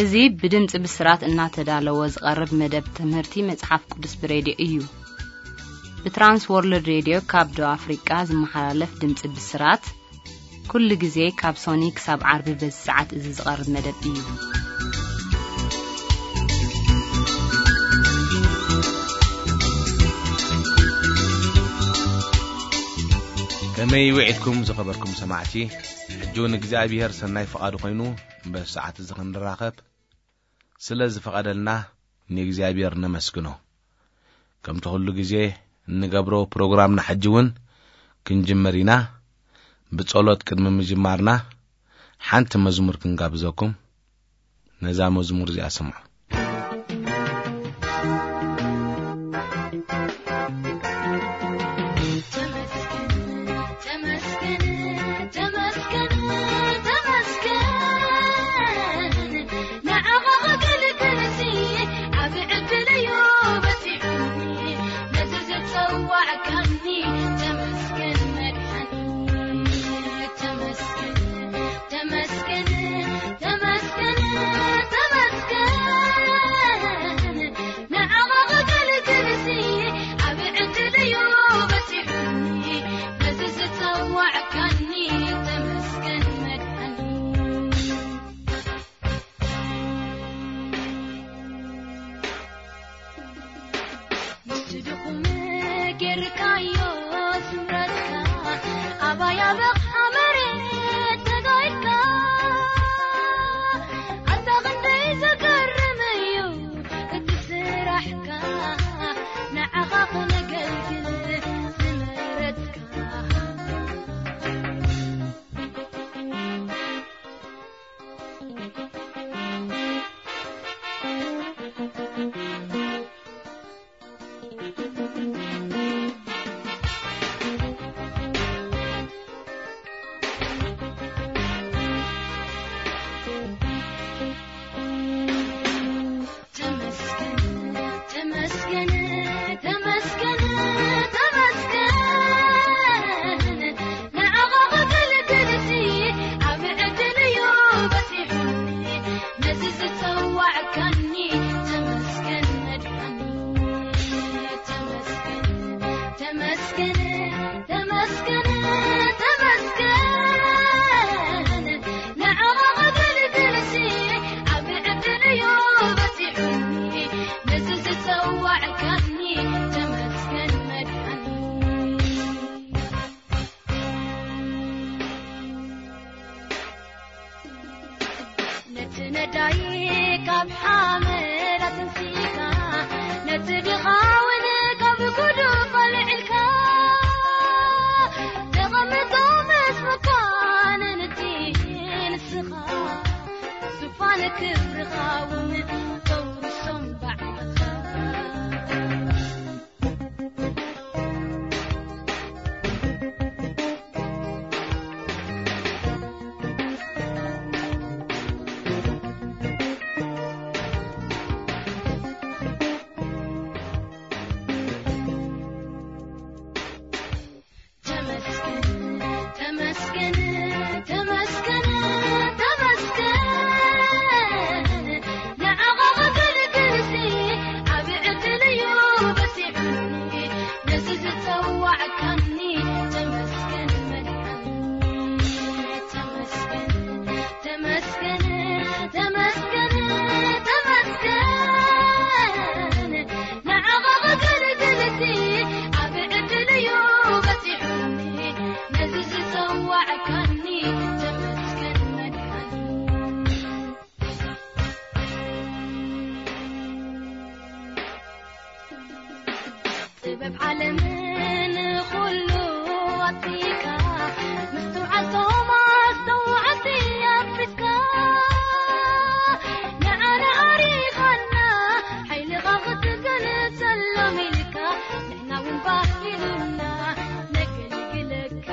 እዚ ብድምጺ ብስራት እናተዳለወ ዝቐርብ መደብ ትምህርቲ መጽሓፍ ቅዱስ ብሬድዮ እዩ። ብትራንስ ወርልድ ሬድዮ ካብ ደቡብ ኣፍሪቃ ዝመሓላለፍ ድምጺ ብስራት፣ ኩሉ ግዜ ካብ ሶኒ ክሳብ ዓርቢ በዚ ሰዓት እዚ ዝቐርብ መደብ እዩ። ከመይ ውዒልኩም ዝኸበርኩም ሰማዕቲ? ሕጂ እውን እግዚኣብሔር ሰናይ ፍቓዱ ኮይኑ በዚ ሰዓት እዚ ክንራኸብ ስለ ዝፈቐደልና ንእግዚኣብሔር ነመስግኖ። ከምቲ ኩሉ ግዜ እንገብሮ ፕሮግራምና ሕጂ እውን ክንጅምር ኢና። ብጸሎት ቅድሚ ምጅማርና ሓንቲ መዝሙር ክንጋብዘኩም። ነዛ መዝሙር እዚኣ ስምዑ። ተመስገን፣ ተመስገን፣ ተመስገን፣ ተመስገን። ንዓኻ ከገልግልሲ ዓቢ ዕድል እዩ በጺሑኒ። ነዚ ዝጸዋዕካኒ ተመስገን መድሓኒ። ተመስገን፣ ተመስገን፣ ተመስገን፣ ተመስገን። ንዓኻ ከገልግልሲ ዓቢ ዕድል እዩ በጺሑኒ። ነዚ ዝጸዋዕካኒ ተመስገን መድሓኒ። ምስቲ ድኹም ጌርካዮ ስምረትካ፣ ኣባይ ኣበቕዓ መሬት ተጋይካ። ኣታ ክንደይ ዘገርም እዩ እቲ ስራሕካ፣ ንዓኻ ክነገልግል ዝመረጽካ። ተመስገን፣ ተመስገን፣ ተመስገን፣ ተመስገን። ንዓኻ ከገልግልሲ ዓቢ ዕድል እዩ በጺሑኒ። ነዚ ዝጸዋዕካኒ ተመስገን መድሓኒ። ተመስገን፣ ተመስገን፣ ተመስገን፣ ተመስገን። ንዓኻ ከገልግልሲ ዓቢ ዕድል እዩ በጺሑኒ። ነዚ ዝጸዋዕካኒ ተመስገን መድሓኒ። ነቲ ነዳይ ካብ ሓመድ ኣተንሲእካ፣ ነቲ ድኻ እውን ካብ ጉድፍ ኣልዒልካ፣ ተቐምጦ ምስ መኳንንቲ ንስኻ፣ ዙፋን ክብርኻ እውን ተውርሶም ባዕልኻ። ተመስገን፣ ተመስገን፣ ተመስገን፣ ተመስገን። ንዓኻ ከገልግልሲ ዓቢ ዕድል እዩ በጺሑኒ። ነዚ ዝጸዋዕካኒ ተመስገን መድሓኒ። ተመስገን፣ ተመስገን፣ ተመስገን፣ ተመስገን። ንዓኻ ከገልግልሲ ዓቢ ዕድል እዩ በጺሑኒ። ነዚ ዝጸዋዕካኒ ተመስገን መድሓኒ። ጥበብ ዓለምን ኩሉ ኣጥፊእካ፣ ምስትውዓል ቶማስ ተዋዕቲ ኣጥፊስካ፣ ንዓና ኣሪኻና፣ ሓይልኻ ክትገልጸሎም ኢልካ፣ ንሕና እውን ባህ ኢሉና ነገልግለካ።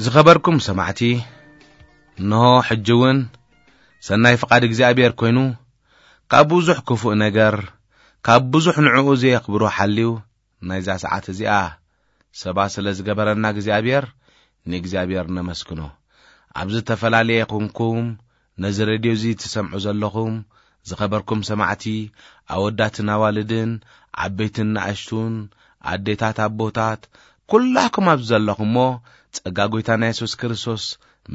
ዝኸበርኩም ሰማዕቲ፣ እንሆ ሕጂ እውን ሰናይ ፍቓድ እግዚኣብሔር ኮይኑ፣ ካብ ብዙሕ ክፉእ ነገር፣ ካብ ብዙሕ ንዕኡ ዘየኽብሮ ሓልዩ፣ ናይዛ ሰዓት እዚኣ ሰባ ስለ ዝገበረና እግዚኣብሔር ንእግዚኣብሔር ነመስግኖ። ኣብ ዝተፈላለየ ኹንኩም ነዚ ሬድዮ እዚ ትሰምዑ ዘለኹም ዝኸበርኩም ሰማዕቲ፣ ኣወዳትን ኣዋልድን፣ ዓበይትን ንኣሽቱን፣ ኣዴታት ኣቦታት፣ ኩላኩም ኣብ ዘለኹም እሞ፣ ጸጋ ጎይታና የሱስ ክርስቶስ፣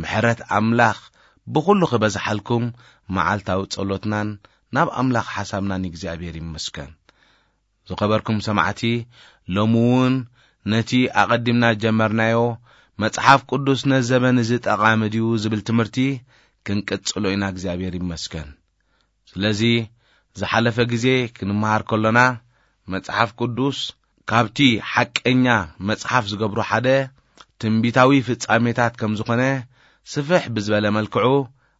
ምሕረት ኣምላኽ ብኹሉ ክበዝሓልኩም፣ መዓልታዊ ጸሎትናን ናብ ኣምላኽ ሓሳብናን እግዚኣብሔር ይመስገን። ዝኸበርኩም ሰማዕቲ፣ ሎሚ እውን ነቲ ኣቐዲምና ዝጀመርናዮ መጽሓፍ ቅዱስ ነዚ ዘበን እዚ ጠቓሚ ድዩ ዝብል ትምህርቲ ክንቅጽሎ ኢና። እግዚኣብሔር ይመስገን። ስለዚ ዝሓለፈ ግዜ ክንመሃር ከሎና መጽሓፍ ቅዱስ ካብቲ ሓቀኛ መጽሓፍ ዝገብሮ ሓደ ትንቢታዊ ፍጻሜታት ከም ዝኾነ ስፍሕ ብዝበለ መልክዑ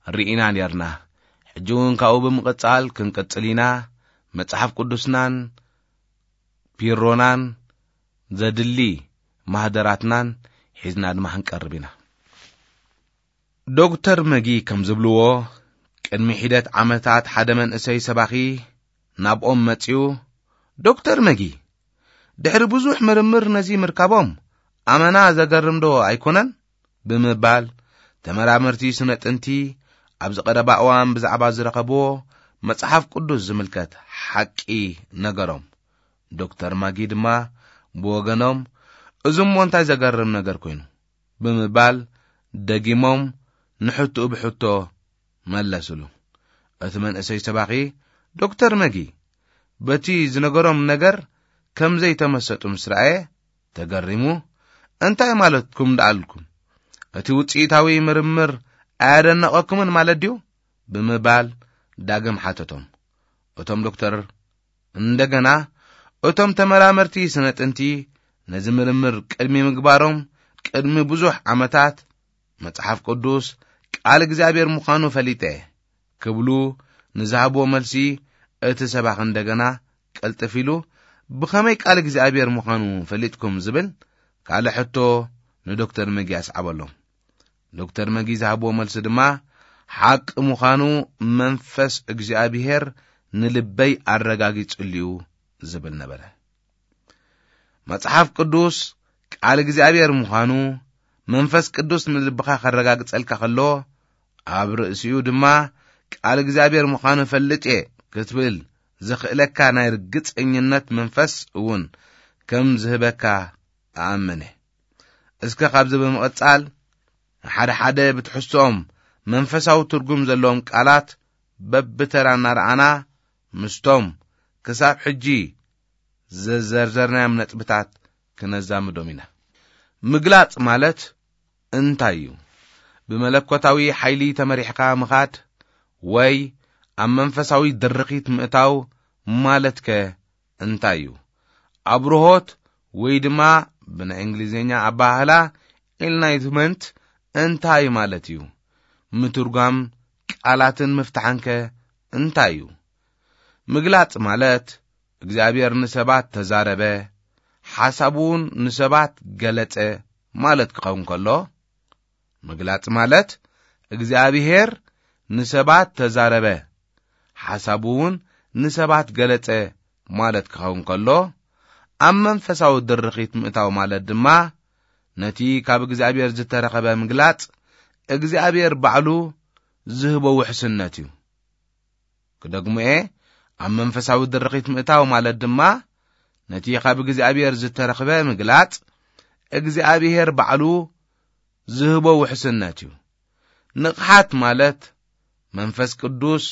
ርኢና ኔርና። ሕጂ እውን ካብኡ ብምቕጻል ክንቅጽል ኢና። መጽሓፍ ቅዱስናን ፒሮናን ዘድሊ ማህደራትናን ሒዝና ድማ ክንቀርብ ኢና። ዶክተር መጊ ከም ዝብልዎ፣ ቅድሚ ሒደት ዓመታት ሓደ መንእሰይ ሰባኺ ናብኦም መጺኡ፣ "ዶክተር መጊ፣ ድሕሪ ብዙሕ ምርምር ነዚ ምርካቦም ኣመና ዘገርም ዶ ኣይኮነን?" ብምባል፣ ተመራመርቲ ስነ ጥንቲ ኣብዚ ቀረባ እዋን ብዛዕባ ዝረኸብዎ መጽሓፍ ቅዱስ ዝምልከት ሓቂ ነገሮም። ዶክተር ማጊ ድማ ብወገኖም፣ "እዚ እሞ እንታይ ዘገርም ነገር ኮይኑ?" ብምባል ደጊሞም ንሕቶኡ ብሕቶ መለስሉ። እቲ መንእሰይ ሰባኺ፣ "ዶክተር መጊ፣ በቲ ዝነገሮም ነገር ከም ዘይተመሰጡ ምስ ረኣየ ተገሪሙ፣ 'እንታይ ማለትኩም ደኣልኩም? እቲ ውጽኢታዊ ምርምር ኣያደነቐኩምን ማለት ድዩ?" ብምባል ዳግም ሓተቶም። እቶም ዶክተር እንደገና፣ እቶም ተመራመርቲ ስነ ጥንቲ ነዚ ምርምር ቅድሚ ምግባሮም ቅድሚ ብዙሕ ዓመታት መጽሓፍ ቅዱስ ቃል እግዚኣብሔር ምዃኑ ፈሊጠ ክብሉ ንዝሃብዎ መልሲ፣ እቲ ሰባኺ እንደገና ቅልጥፍ ኢሉ፣ "ብኸመይ ቃል እግዚኣብሔር ምዃኑ ፈሊጥኩም?" ዝብል ካልእ ሕቶ ንዶክተር መጊ ኣስዓበሎም። ዶክተር መጊ ዝሃብዎ መልሲ ድማ፣ "ሓቂ ምዃኑ መንፈስ እግዚኣብሔር ንልበይ ኣረጋጊጽልዩ" ዝብል ነበረ። መጽሓፍ ቅዱስ ቃል እግዚኣብሔር ምዃኑ መንፈስ ቅዱስ ንልብኻ ከረጋግጸልካ ከሎ፣ ኣብ ርእሲኡ ድማ "ቃል እግዚኣብሔር ምዃኑ ፈልጥ እየ" ክትብል ዝኽእለካ ናይ ርግጸኝነት መንፈስ እውን ከም ዝህበካ ኣኣመነ። እስከ ካብዚ ብምቕጻል፣ ሓደ ሓደ ብትሕዝቶኦም መንፈሳዊ ትርጉም ዘለዎም ቃላት በብተራ እናረኣና፣ ምስቶም ክሳብ ሕጂ ዘዘርዘርናዮም ነጥብታት ክነዛምዶም ኢና። ምግላጽ ማለት እንታይ እዩ? ብመለኮታዊ ሓይሊ ተመሪሕካ ምኻድ ወይ ኣብ መንፈሳዊ ድርኺት ምእታው ማለትከ እንታይ እዩ? ኣብርሆት ወይ ድማ ብናይ እንግሊዝኛ ኣበሃህላ ኢንላይትመንት እንታይ ማለት እዩ? ምትርጓም ቃላትን ምፍታሕንከ እንታይ እዩ? ምግላጽ ማለት እግዚኣብሔር ንሰባት ተዛረበ፣ ሓሳቡ እውን ንሰባት ገለጸ ማለት ክኸውን ከሎ፣ ምግላጽ ማለት እግዚኣብሔር ንሰባት ተዛረበ፣ ሓሳቡ እውን ንሰባት ገለጸ ማለት ክኸውን ከሎ፣ ኣብ መንፈሳዊ ድርኺት ምእታው ማለት ድማ ነቲ ካብ እግዚኣብሔር ዝተረኸበ ምግላጽ እግዚኣብሔር ባዕሉ ዝህቦ ውሕስነት እዩ። ክደግሞ እየ፣ ኣብ መንፈሳዊ ድርኺት ምእታው ማለት ድማ ነቲ ካብ እግዚኣብሔር ዝተረኽበ ምግላጽ እግዚኣብሔር ባዕሉ ዝህቦ ውሕስነት እዩ። ንቕሓት ማለት መንፈስ ቅዱስ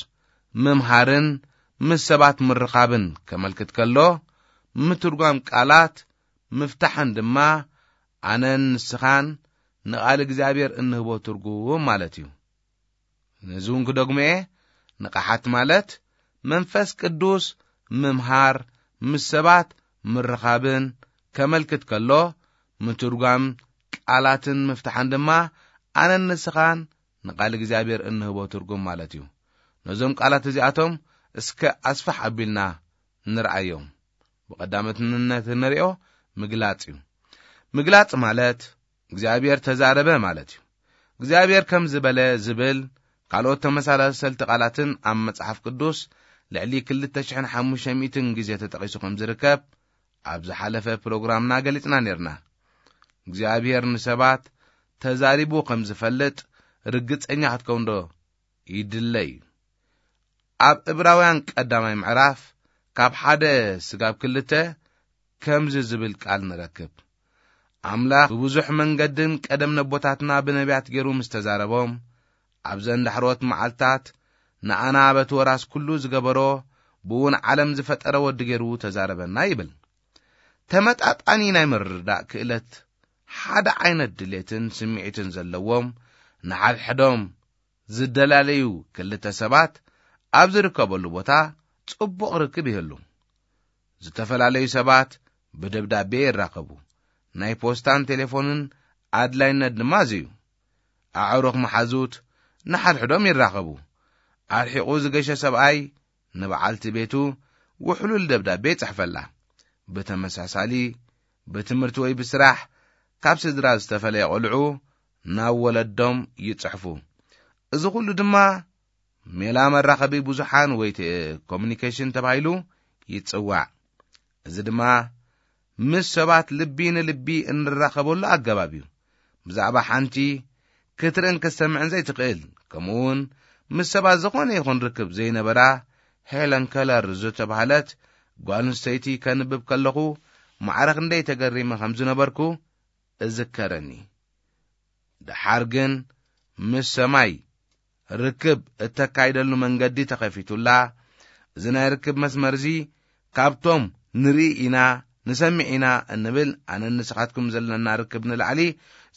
ምምሃርን ምስ ሰባት ምርኻብን ከመልክት ከሎ፣ ምትርጓም ቃላት ምፍታሕን ድማ ኣነን ንስኻን ንቓል እግዚኣብሔር እንህቦ ትርጉም ማለት እዩ። ነዚ እውን ክደግሞ እየ፣ ንቕሓት ማለት መንፈስ ቅዱስ ምምሃር፣ ምስ ሰባት ምርኻብን ከመልክት ከሎ፣ ምትርጓም ቃላትን ምፍታሕን ድማ ኣነን ንስኻን ንቓል እግዚኣብሔር እንህቦ ትርጉም ማለት እዩ። ነዞም ቃላት እዚኣቶም እስከ ኣስፍሕ ኣቢልና ንርኣዮም። ብቐዳምነት እንሪኦ ምግላጽ እዩ። ምግላጽ ማለት እግዚኣብሔር ተዛረበ ማለት እዩ። እግዚኣብሔር ከም ዝበለ ዝብል ካልኦት ተመሳሰልቲ ቃላትን ኣብ መጽሓፍ ቅዱስ ልዕሊ ክልተ ሽሕን ሓሙሽተ ሚእትን ግዜ ተጠቒሱ ከም ዝርከብ ኣብ ዝሓለፈ ፕሮግራምና ገሊጽና ነርና። እግዚኣብሔር ንሰባት ተዛሪቡ ከም ዝፈልጥ ርግጸኛ ክትከውን ዶ ይድለ እዩ? ኣብ ዕብራውያን ቀዳማይ ምዕራፍ ካብ ሓደ ስጋብ ክልተ ከምዚ ዝብል ቃል ንረክብ። ኣምላኽ ብብዙሕ መንገድን ቀደም ነቦታትና ብነቢያት ገይሩ ምስ ተዛረቦም፣ ኣብዘን ዳሕሮት መዓልታት ንኣና በቲ ወራስ ኩሉ ዝገበሮ፣ ብእውን ዓለም ዝፈጠረ ወዲ ገይሩ ተዛረበና ይብል። ተመጣጣኒ ናይ ምርዳእ ክእለት፣ ሓደ ዓይነት ድሌትን ስምዒትን ዘለዎም ንሓድሕዶም ዝደላለዩ ክልተ ሰባት ኣብ ዝርከበሉ ቦታ ጽቡቕ ርክብ ይህሉ። ዝተፈላለዩ ሰባት ብደብዳቤ ይራኸቡ። ናይ ፖስታን ቴሌፎንን ኣድላይነት ድማ እዚ እዩ። ኣዕሩኽ መሓዙት ንሓድሕዶም ይራኸቡ። ኣርሒቑ ዝገሸ ሰብኣይ ንበዓልቲ ቤቱ ውሕሉል ደብዳቤ ይጽሕፈላ። ብተመሳሳሊ፣ ብትምህርቲ ወይ ብስራሕ ካብ ስድራ ዝተፈለየ ቆልዑ ናብ ወለዶም ይጽሕፉ። እዚ ኩሉ ድማ ሜላ መራኸቢ ብዙሓን ወይ ቴ-፣ ኮሙኒኬሽን ተባሂሉ ይጽዋዕ። እዚ ድማ ምስ ሰባት ልቢ ንልቢ እንራኸበሉ ኣገባብ እዩ። ብዛዕባ ሓንቲ ክትርእን ክትሰምዕን ዘይትኽእል፣ ከምኡውን ምስ ሰባት ዝኾነ ይኹን ርክብ ዘይነበራ ሄለን ከለር ዝተባህለት ጓል ኣንስተይቲ ከንብብ ከለኹ ማዕረ ክንደይ ተገሪመ ከም ዝነበርኩ እዝከረኒ። ደሓር ግን ምስ ሰማይ ርክብ እተካይደሉ መንገዲ ተኸፊቱላ። እዚ ናይ ርክብ መስመር እዚ ካብቶም ንርኢ ኢና፣ ንሰምዕ ኢና እንብል ኣነን ንስኻትኩም ዘለና ርክብ ንላዕሊ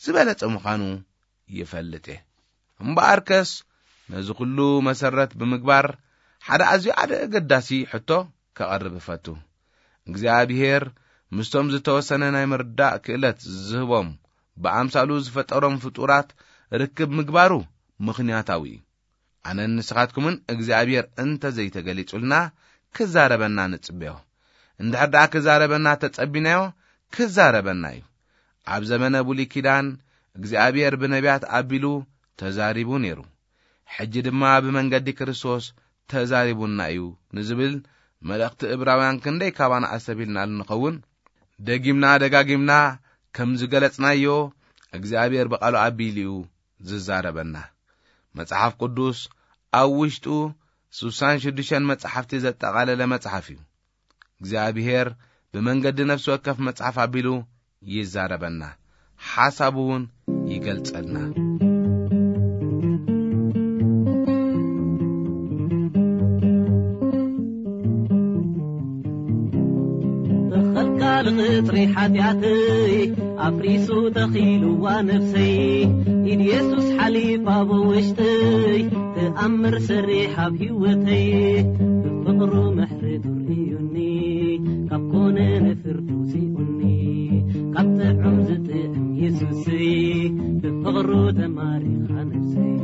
ዝበለጸ ምዃኑ ይፈልጥ እየ። እምበኣርከስ ነዚ ኩሉ መሰረት ብምግባር ሓደ ኣዝዩ ኣገዳሲ ሕቶ ከቐርብ እፈቱ። እግዚኣብሔር ምስቶም ዝተወሰነ ናይ ምርዳእ ክእለት ዝህቦም ብኣምሳሉ ዝፈጠሮም ፍጡራት ርክብ ምግባሩ ምኽንያታዊ እዩ። ኣነን ንስኻትኩምን እግዚኣብሔር እንተ ዘይተገሊጹልና ክዛረበና ንጽበዮ። እንድሕር ደኣ ክዛረበና ተጸቢናዮ ክዛረበና እዩ። ኣብ ዘመነ ብሉይ ኪዳን እግዚኣብሔር ብነቢያት ኣቢሉ ተዛሪቡ ነይሩ። ሕጂ ድማ ብመንገዲ ክርስቶስ ተዛሪቡና እዩ ንዝብል መልእኽቲ ዕብራውያን ክንደይ ካባና ኣስተብሂልናሉ ንኸውን? ደጊምና ደጋጊምና ከም ዝገለጽናዮ እግዚኣብሔር ብቓሉ ኣቢሉ እዩ ዝዛረበና። መጽሓፍ ቅዱስ ኣብ ውሽጡ ስሳን ሽዱሽተን መጻሕፍቲ ዘጠቓለለ መጽሓፍ እዩ። እግዚኣብሔር ብመንገዲ ነፍሲ ወከፍ መጽሓፍ ኣቢሉ ይዛረበና፣ ሓሳቡ እውን ይገልጸልና። ተኸልካል ቕጽሪ ሓጢኣተይ ኣፍሪሱ ተኺልዋ ነፍሰይ፣ ኢድ የሱስ ሓሊፋ ብውሽጠይ፣ ተኣምር ሰሪሕ ኣብ ህይወተይ፣ ብፍቕሩ ምሕረቱ ርእዩኒ፣ ካብ ኮነ ንፍርዱ ሲኡኒ፣ ካብ ጥዑም ዝጥዕም የሱሰይ፣ ብፍቕሩ ተማሪኻ ነፍሰይ።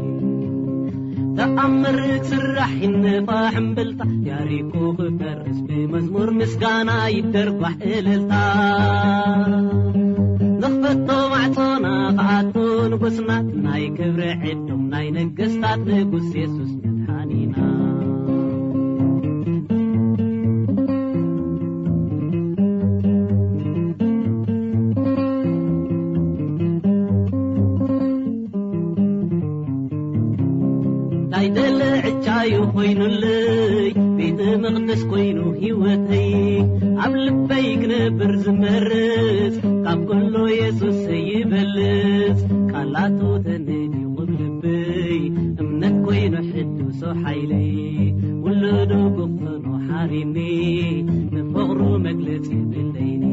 ተኣምር ክስራሕ ይነፋሕ እምብልታ፣ ያሪኮ ክፈርስ ብመዝሙር ምስጋና ይደርጓሕ እልልታ። ንኽፈቶ ማዕጾና ክኣቱ ንጉስና፣ ናይ ክብሪ ዕዱም ናይ ነገስታት ንጉስ የሱስ መድሓኒና። ናይ ደለ ዕጫዩ ኮይኑለይ፣ ቤተ መቕደስ ኮይኑ ህይወተይ፣ ኣብ ልበይ ክነብር ዝመርጽ፣ ካብ ኩሉ የሱስ ይበልጽ። ቃላቱ ተነዲቑ ልበይ፣ እምነት ኮይኑ ሕዱሶ ሓይለይ፣ ውሉዱ ክኾኖ ሓሪኒ፣ ንፍቕሩ መግለጺ የብለይኒ።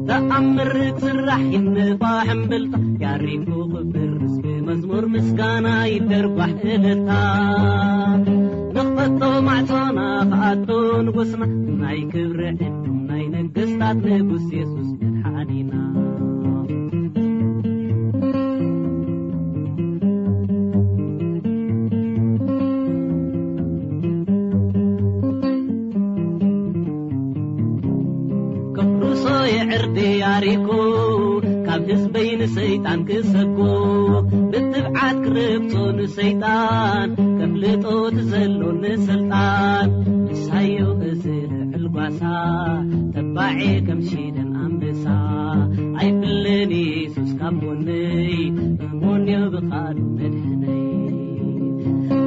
ተኣምር ክስራሕ ይነፋሕ እምብልታ፣ ያሪኮ ክፈርስ ብመዝሙር ምስጋና ይደርጓሕ እልልታ። ንኽፈቶ ማዕጾና ክኣቱ ንጉስና፣ ናይ ክብሪ ዕዱም ናይ ነገስታት ንጉስ የሱስ መድሓኒና። ከፍርሶ የዕርዲ ያሪኮ፣ ካብ ህዝበይ ንሰይጣን ክሰጎ፣ ብትብዓት ክረግጾ ንሰይጣን፣ ከፍልጦ እቲ ዘሎኒ ስልጣን። ንሳዮ እዚ ልዑል ጓሳ፣ ተባዔ ከም ሽደን ኣንበሳ፣ ኣይፍለ ኣቦነይ እሞንዮ ብቓሉ መድሕነይ።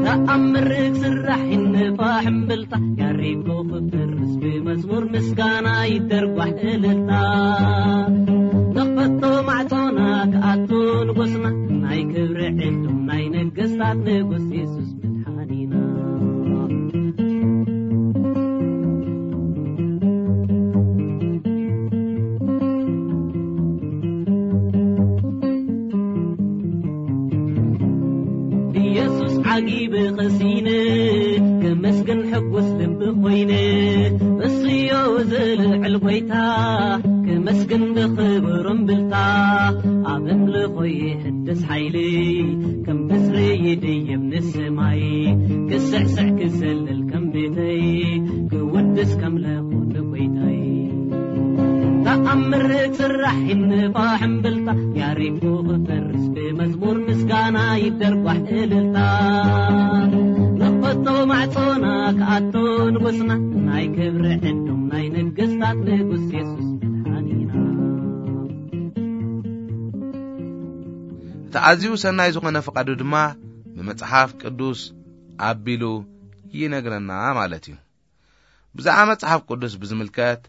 ተኣምር ክስራሕ ይንፋሕ እምብልታ፣ ያሪጎ ክፈርስ ብመዝሙር ምስጋና ይደርጓሕ እልልታ። ንኽፈቶ ማዕጾና ክኣቱ ንጉስና፣ ናይ ክብሪ ዕዱም ናይ ነገስታት ንጉስ የሱስ መድሓኒና። ኢየሱስ ዓጊበ ኸሲነ፣ ከመስግን ሕጉስ ልቢ ኾይነ፣ እሱዮ ዝልዕል ጐይታ፣ ከመስግን ብኽብር እምብልታ፣ ኣብ እምልኾ ይሕድስ ሓይሊ፣ ከም ብስሪ ይድይብ ንሰማይ፣ ክስዕስዕ ክዘልል ከም ቤተይ፣ ክውድስ ከም ለኹ ንጐይታይ። ተኣምር ክስራሕ ይንፋሕ እምብልታ፣ ያሪጎ ክፈርስ ብመዝሙር ምስጋና ይደርጓሕ እልልታ። ንኽፈቶ ማዕጾና ክኣቶ ንጉስና፣ ናይ ክብሪ ዕዱም ናይ ነገስታት ንጉስ የሱስ መድሓኒና። እቲ ኣዝዩ ሰናይ ዝኾነ ፍቓዱ ድማ ብመጽሓፍ ቅዱስ ኣቢሉ ይነግረና ማለት እዩ። ብዛዕባ መጽሓፍ ቅዱስ ብዝምልከት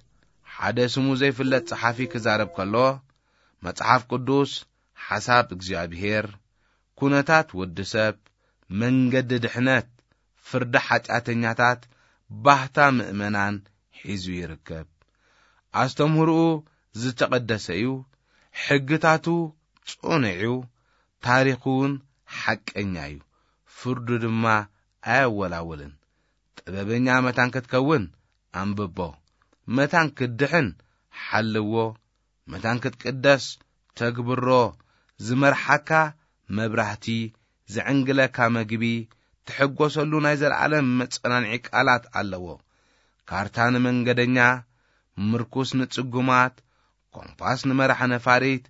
ሓደ ስሙ ዘይፍለጥ ጸሓፊ ክዛረብ ከሎ፣ መጽሓፍ ቅዱስ ሓሳብ እግዚኣብሔር፣ ኩነታት ወዲ ሰብ፣ መንገዲ ድሕነት፣ ፍርዲ ሓጢኣተኛታት፣ ባህታ ምእመናን ሒዙ ይርከብ። ኣስተምህሮኡ ዝተቐደሰ እዩ፣ ሕግታቱ ጽኑዕ እዩ፣ ታሪኹ እውን ሓቀኛ እዩ፣ ፍርዱ ድማ ኣየወላውልን። ጥበበኛ መታን ክትከውን ኣንብቦ፣ መታን ክትድሕን ሓልዎ፣ መታን ክትቅደስ ተግብሮ። ዝመርሓካ መብራህቲ፣ ዝዕንግለካ መግቢ፣ ትሕጎሰሉ ናይ ዘለዓለም መጸናንዒ ቃላት ኣለዎ። ካርታ ንመንገደኛ፣ ምርኩስ ንጽጉማት፣ ኮምፓስ ንመራሕ ነፋሪት፣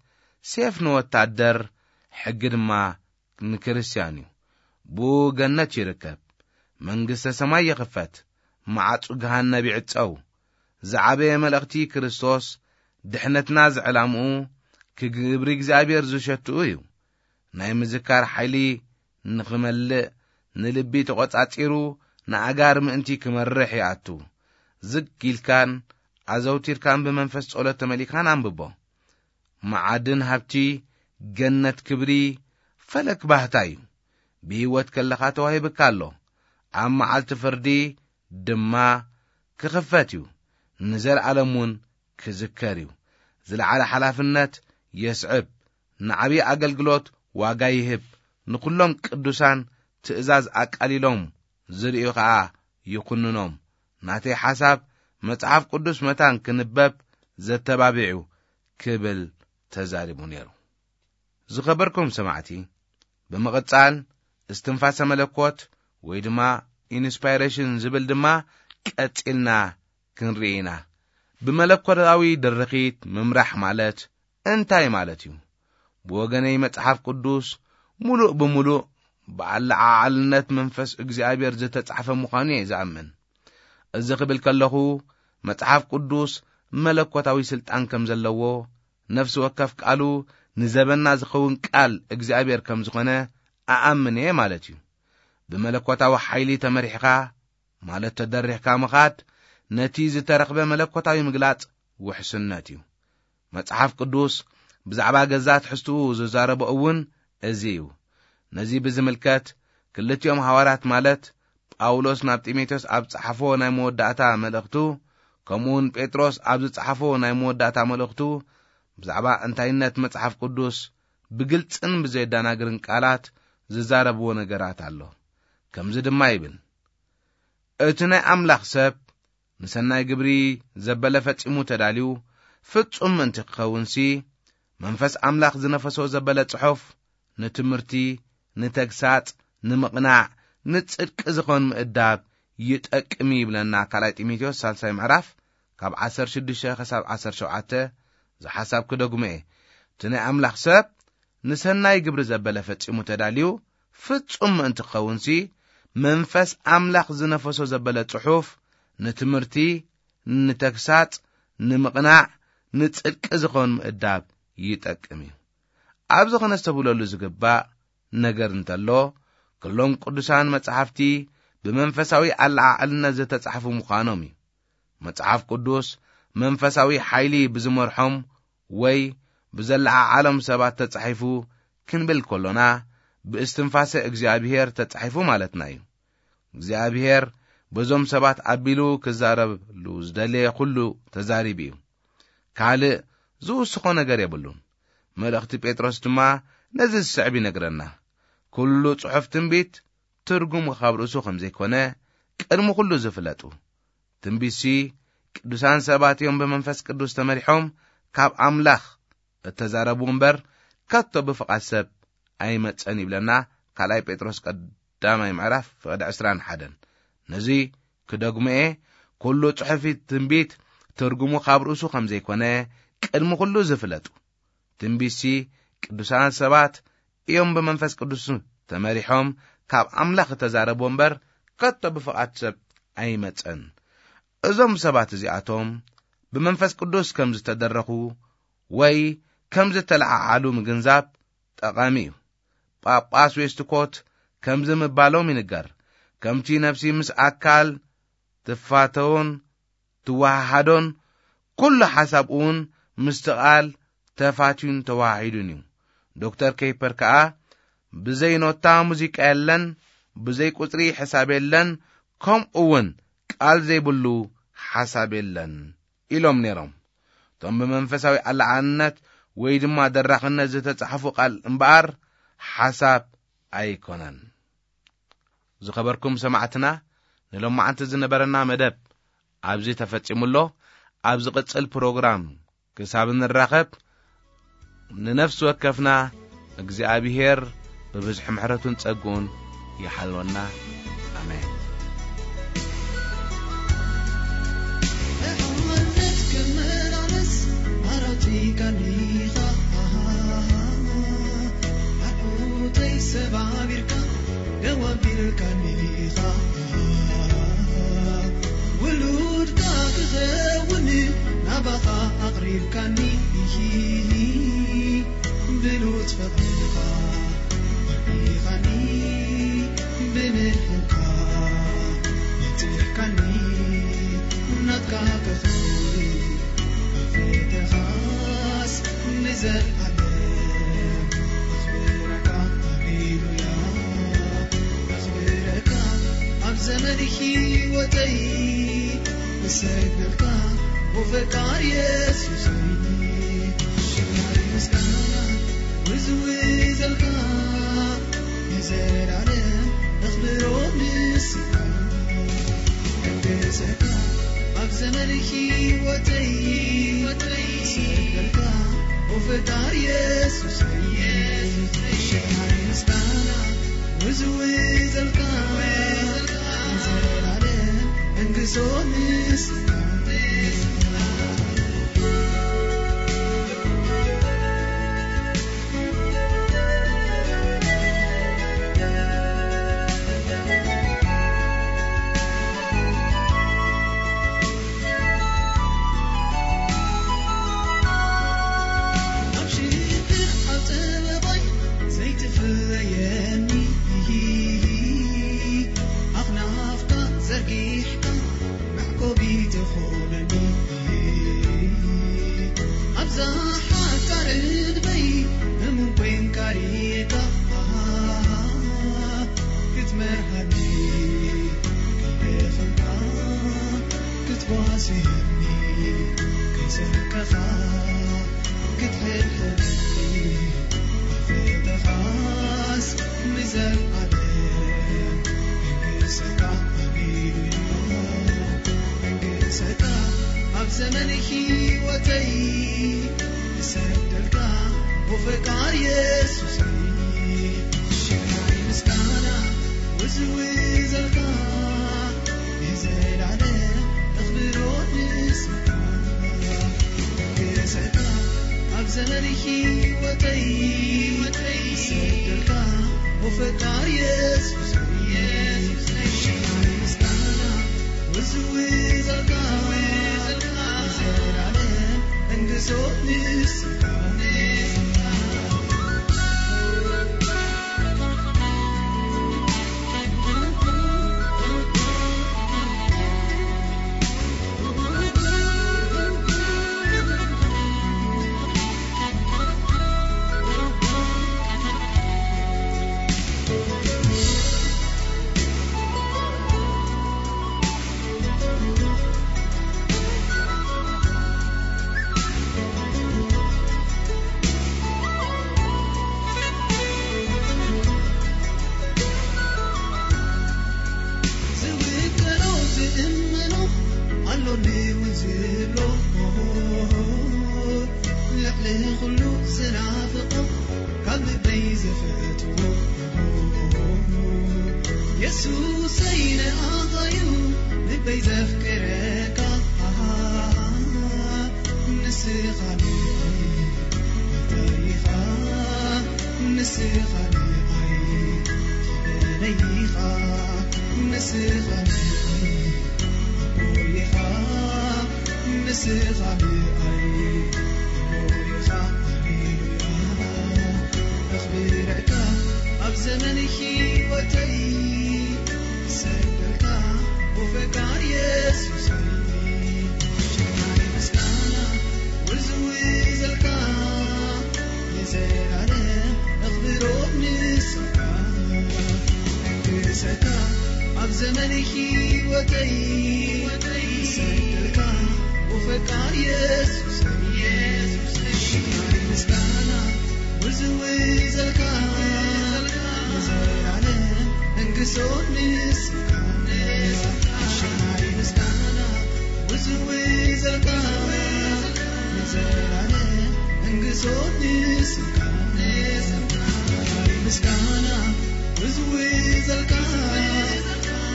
ሴፍ ንወታደር፣ ሕጊ ድማ ንክርስትያን እዩ። ብኡ ገነት ይርከብ፣ መንግስተ ሰማይ ይኽፈት፣ ማዕጹ ገሃነብ ይዕጸው። ዝዓበየ መልእኽቲ ክርስቶስ፣ ድሕነትና ዝዕላምኡ ክግብሪ እግዚኣብሔር ዝሸትኡ እዩ። ናይ ምዝካር ሓይሊ ንኽመልእ፣ ንልቢ ተቖጻጺሩ ንኣጋር ምእንቲ ክመርሕ ይኣቱ። ዝግ ኢልካን ኣዘውቲርካን ብመንፈስ ጸሎት ተመሊእካን ኣንብቦ። መዓድን ሃብቲ፣ ገነት ክብሪ፣ ፈለግ ባህታ እዩ። ብህይወት ከለኻ ተዋሂብካ ኣሎ። ኣብ መዓልቲ ፍርዲ ድማ ክኽፈት እዩ። ንዘለኣለም እውን ክዝከር እዩ። ዝለዓለ ሓላፍነት የስዕብ። ንዓብዪ ኣገልግሎት ዋጋ ይህብ። ንኹሎም ቅዱሳን ትእዛዝ ኣቃሊሎም ዝርእዩ ኸኣ ይኹንኖም። ናተይ ሓሳብ መጽሓፍ ቅዱስ መታን ክንበብ ዘተባቢዑ ክብል ተዛሪቡ ነይሩ። ዝኸበርኩም ሰማዕቲ፣ ብምቕጻል እስትንፋሰ መለኮት ወይ ድማ ኢንስፓይሬሽን ዝብል ድማ ቀጺልና ክንርኢ ኢና። ብመለኮታዊ ድርኺት ምምራሕ ማለት እንታይ ማለት እዩ? ብወገነይ መጽሓፍ ቅዱስ ምሉእ ብምሉእ ብኣለዓዓልነት መንፈስ እግዚኣብሔር ዝተጻሕፈ ምዃኑ እየ ዝኣምን። እዚ ክብል ከለኹ መጽሓፍ ቅዱስ መለኮታዊ ስልጣን ከም ዘለዎ፣ ነፍሲ ወከፍ ቃሉ ንዘበና ዝኸውን ቃል እግዚኣብሔር ከም ዝኾነ ኣኣምን እየ ማለት እዩ። ብመለኮታዊ ሓይሊ ተመሪሕኻ ማለት ተደሪኽካ ምኻድ ነቲ ዝተረኽበ መለኮታዊ ምግላጽ ውሕስነት እዩ። መጽሓፍ ቅዱስ ብዛዕባ ገዛ ትሕዝትኡ ዝዛረቦ እውን እዚ እዩ። ነዚ ብዝምልከት ክልቲኦም ሃዋርያት ማለት ጳውሎስ ናብ ጢሞቴዎስ ኣብ ጸሓፎ ናይ መወዳእታ መልእኽቱ፣ ከምኡውን ጴጥሮስ ኣብ ዝጸሓፎ ናይ መወዳእታ መልእኽቱ ብዛዕባ እንታይነት መጽሓፍ ቅዱስ ብግልጽን ብዘየዳናግርን ቃላት ዝዛረብዎ ነገራት ኣሎ። ከምዚ ድማ ይብል፣ እቲ ናይ ኣምላኽ ሰብ ንሰናይ ግብሪ ዘበለ ፈጺሙ ተዳልዩ ፍጹም ምእንቲ ክኸውንሲ፣ መንፈስ ኣምላኽ ዝነፈሶ ዘበለ ጽሑፍ ንትምህርቲ፣ ንተግሳጽ፣ ንምቕናዕ፣ ንጽድቂ ዝኾን ምእዳብ ይጠቅም ይብለና። ካልኣይ ጢሞቴዎስ ሳልሳይ ምዕራፍ ካብ ዓሰርተ ሽዱሽተ ክሳብ ዓሰርተ ሸውዓተ ዝሓሳብ ክደግሞ እየ። እቲ ናይ ኣምላኽ ሰብ ንሰናይ ግብሪ ዘበለ ፈጺሙ ተዳልዩ ፍጹም ምእንቲ ክኸውንሲ፣ መንፈስ ኣምላኽ ዝነፈሶ ዘበለ ጽሑፍ ንትምህርቲ፣ ንተግሳጽ፣ ንምቕናዕ፣ ንጽድቂ ዝኾን ምእዳብ ይጠቅም እዩ። ኣብዚ ኸነስተብህለሉ ዝግባእ ነገር እንተሎ፣ ኩሎም ቅዱሳን መጻሕፍቲ ብመንፈሳዊ ኣለዓዕልነት ዝተጻሕፉ ምዃኖም እዩ። መጽሓፍ ቅዱስ መንፈሳዊ ሓይሊ ብዝመርሖም ወይ ብዘለዓዓሎም ሰባት ተጻሒፉ ክንብል ከሎና፣ ብእስትንፋሰ እግዚኣብሔር ተጻሒፉ ማለትና እዩ። እግዚኣብሔር በዞም ሰባት ኣቢሉ ክዛረብሉ ዝደለየ ኩሉ ተዛሪቡ እዩ። ካልእ ዝውስኾ ነገር የብሉን። መልእኽቲ ጴጥሮስ ድማ ነዚ ዝስዕብ ይነግረና። ኩሉ ጽሑፍ ትንቢት ትርጉሙ ካብ ርእሱ ከም ዘይኮነ ቅድሚ ኩሉ ዝፍለጡ። ትንቢትሲ ቅዱሳን ሰባት እዮም ብመንፈስ ቅዱስ ተመሪሖም ካብ ኣምላኽ እተዛረቡ እምበር፣ ከቶ ብፍቓድ ሰብ ኣይመጸን ይብለና ካልኣይ ጴጥሮስ ቀዳማይ ምዕራፍ ፍቕዲ ዕስራን ሓደን። ነዚ ክደግሞ እየ፣ ኩሉ ጽሑፊት ትንቢት ትርጉሙ ካብ ርእሱ ከም ዘይኮነ ቅድሚ ኩሉ ዝፍለጡ። ትንቢትሲ ቅዱሳን ሰባት እዮም ብመንፈስ ቅዱስ ተመሪሖም ካብ ኣምላኽ እተዛረቡ እምበር፣ ከቶ ብፍቓድ ሰብ ኣይመጸን። እዞም ሰባት እዚኣቶም ብመንፈስ ቅዱስ ከም ዝተደረኹ ወይ ከም ዝተለዓዓሉ ምግንዛብ ጠቓሚ እዩ። ጳጳስ ዌስትኮት ከምዚ ምባሎም ይንገር፣ ከምቲ ነፍሲ ምስ ኣካል ትፋተውን ትወሃሃዶን፣ ኩሉ ሓሳብ እውን ምስቲ ቃል ተፋትዩን ተዋሃሂዱን እዩ። ዶክተር ኬይፐር ከኣ፣ ብዘይ ኖታ ሙዚቃ የለን፣ ብዘይ ቁጽሪ ሕሳብ የለን፣ ከምኡ እውን ቃል ዘይብሉ ሓሳብ የለን ኢሎም ነይሮም። እቶም ብመንፈሳዊ ኣለዓዕልነት ወይ ድማ ደራኽነት ዝተጻሕፉ ቃል እምበኣር ሓሳብ ኣይኮነን። ዝኸበርኩም ሰማዕትና፣ ንሎማዓንቲ ዝነበረና መደብ ኣብዚ ተፈጺሙ ኣሎ። ኣብ ዝቕጽል ፕሮግራም ክሳብ እንራኸብ፣ ንነፍሲ ወከፍና እግዚኣብሄር ብብዝሒ ምሕረቱን ጸግኡን ይሓልወና። ኣሜን። ብሓነት ክመላለስ ኣራጺካኒ ኢኻ፣ ኣዕሩተይ ሰባቢርካ ደው ኣቢልካኒ ኢኻ፣ ውሉድካ ክኸውን ናባኻ ኣቕሪብካኒ፣ ብሉጽ ፍቕርኻ ኣቢኻኒ፣ ብምልኩካ ነጺሕካኒ፣ ናትካ ክኸውን ኣፍልጠኻስ ንዘለኣለም። ኣኽብረካ፣ ሃሌሉያ፣ ኣኽብረካ ኣብ ዘመን ህይወተይ፣ እሰግደልካ፣ ኦ ፈቃር የሱሰይ። ሽማይ ምስጋና ውዝውዘልካ፣ ንዘለኣለም ኣኽብሮ ንስኻ። እገሰካ ኣብ ዘመን ህይወተይ፣ ሰገድካ ኦ ፈጣሪ የሱሰይ። ሽማይ ምስጋና ውዝውዘልካ፣ ንዘለኣለም እንግሶ ንስኻ። ኣብ ሽግር ኣብ ጸበባይ ዘይትፍለየኒ፣ ኣኽናፍካ ዘርጊሕካ መዕቆቢ ትኾነኒ። ኣብዛ ሓጻር ዕድመይ እሙን ኮይንካ ርኢኻ ክትመርሃኒ፣ ከይደኸምካ ክትጓስየኒ፣ ከይሰከኻ ክትሕልኒ፣ ኣፍልጠኻስ ንዘለኣለም መንግሰካ ኣቢሉ፣ መንግሰካ ኣብ ዘመን ህይወተይ እሰግደልካ፣ ኦ ፈቃር የሱሰይ። ሽምዓይ ምስጋና ውዝውዘልካ፣ ንዘለኣለም ኣኽብሮ ንስኻ። መንግሰካ ኣብ ዘመን ህይወተይ እሰግደልካ፣ ኦ ፈቃር የሱሰይ። ሽምዓይ ምስጋና ውዝውዘልካ፣ ንዘለኣለም መንግስቶ ንስኻ። ሎሚ እውን ዝብሎ፣ ልዕሊ ኩሉ ዝናፍቆ፣ ካብ ልበይ ዝፈትዎ፣ የሱሰይ ንኣኻ እዩ ልበይ ዘፍቅረካ። ንስኻ ንዓይ ጎይታይ ኢኻ፣ ንስኻ ንዓይ ክብረይ ኢኻ፣ ንስኻ ንዓይ ኣቦይ ኢኻ፣ ንስኻ ንዓይ ኣቦይ ኢኻ። ሃሌሉያ፣ ኣኽብረካ ኣብ ዘመን ህይወተይ፣ ሰደልካ ወፈቃር የሱሰይ፣ ሸማይ ምስጋና ወዝውዘልካ፣ ንዘላለም ኣኽብሮት ንስኻ። ንግሰካ ኣብ ዘመን ህይወተይ፣ ሰደልካ ወፈቃር የሱሰይ፣ ሸማይ ምስጋና ወዝውዘልካ፣ ንዘላለም እንግሶት ንስኻ። ሸማይ ምስጋና ወዝውዘልካ፣ ንዘላለም እንግሶት ንስኻ። ሸማይ ምስጋና ወዝውዘልካ፣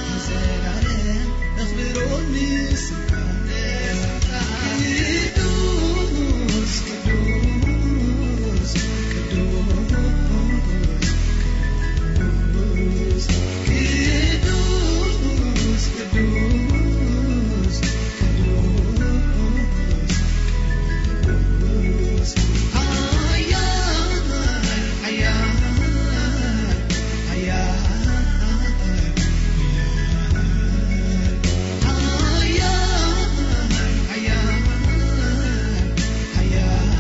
ንዘላለም ኣኽብሮት ንስኻ። ቅዱስ፣ ቅዱስ፣ ቅዱስ፣ ቅዱስ፣ ቅዱስ፣ ቅዱስ፣ ኃያል፣ ኃያል፣ ኃያል፣ ኃያል፣ ኃያል፣ ኃያል፣ ኃያል፣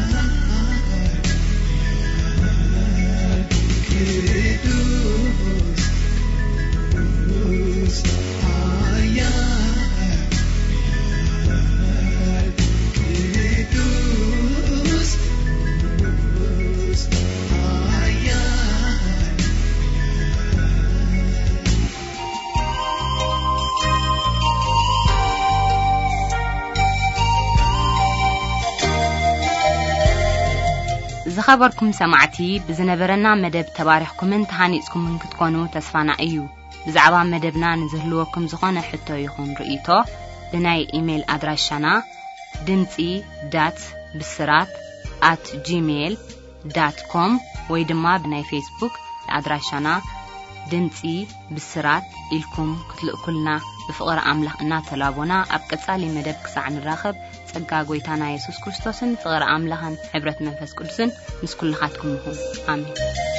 ቅዱስ፣ ቅዱስ፣ ኃያል፣ ቅዱስ፣ ቅዱስ፣ ኃያል፣ ዝኸበርኩም ሰማዕቲ፣ ብዝነበረና መደብ ተባሪኽኩምን ተሃኒጽኩምን ክትኮኑ ተስፋና እዩ። ብዛዕባ መደብና ንዝህልወኩም ዝኾነ ሕቶ ይኹን ርእይቶ፣ ብናይ ኢሜይል ኣድራሻና ድምጺ ዳት ብስራት ኣት ጂሜይል ዳት ኮም ወይ ድማ ብናይ ፌስቡክ ኣድራሻና ድምጺ ብስራት ኢልኩም ክትልእኩልና ብፍቕሪ ኣምላኽ እናተላቦና፣ ኣብ ቀጻሊ መደብ ክሳዕ ንራኸብ፣ ጸጋ ጐይታና የሱስ ክርስቶስን ፍቕሪ ኣምላኽን ሕብረት መንፈስ ቅዱስን ምስ ኩልኻትኩም ይኹን። ኣሜን።